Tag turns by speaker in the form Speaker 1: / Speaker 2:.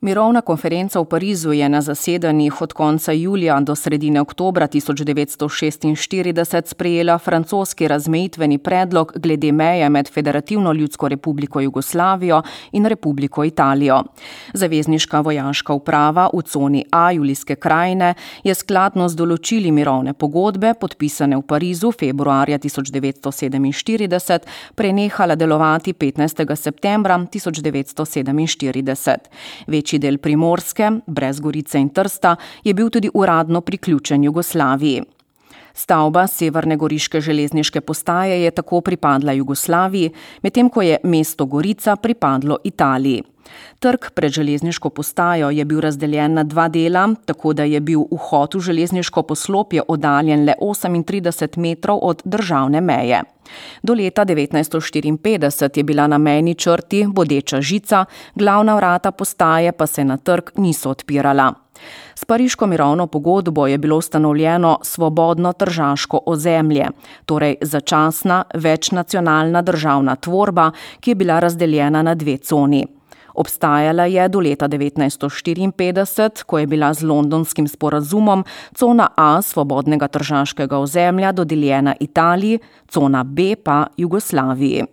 Speaker 1: Mirovna konferenca v Parizu je na zasedanjih od konca julija do sredine oktobra 1946 sprejela francoski razmejitveni predlog glede meje med Federativno ljudsko republiko Jugoslavijo in Republiko Italijo. Zavezniška vojaška uprava v coni A Julijske krajine je skladno z določili mirovne pogodbe, podpisane v Parizu februarja 1947, prenehala delovati 15. septembra 1947. Večji del Primorske, brez Gorice in Trsta, je bil tudi uradno priključen Jugoslaviji. Stavba severne goriške železniške postaje je tako pripadla Jugoslaviji, medtem ko je mesto Gorica pripadlo Italiji. Trg pred železniško postajo je bil razdeljen na dva dela, tako da je bil vhod v železniško poslopje oddaljen le 38 metrov od državne meje. Do leta 1954 je bila na mejni črti bodeča žica, glavna vrata postaje pa se na trg niso odpirala. S pariško mirovno pogodbo je bilo ustanovljeno svobodno tržaško ozemlje, torej začasna večnacionalna državna tvorba, ki je bila razdeljena na dve coni. Obstajala je do leta 1954, ko je bila z londonskim sporazumom cona A svobodnega tržaškega ozemlja dodeljena Italiji, cona B pa Jugoslaviji.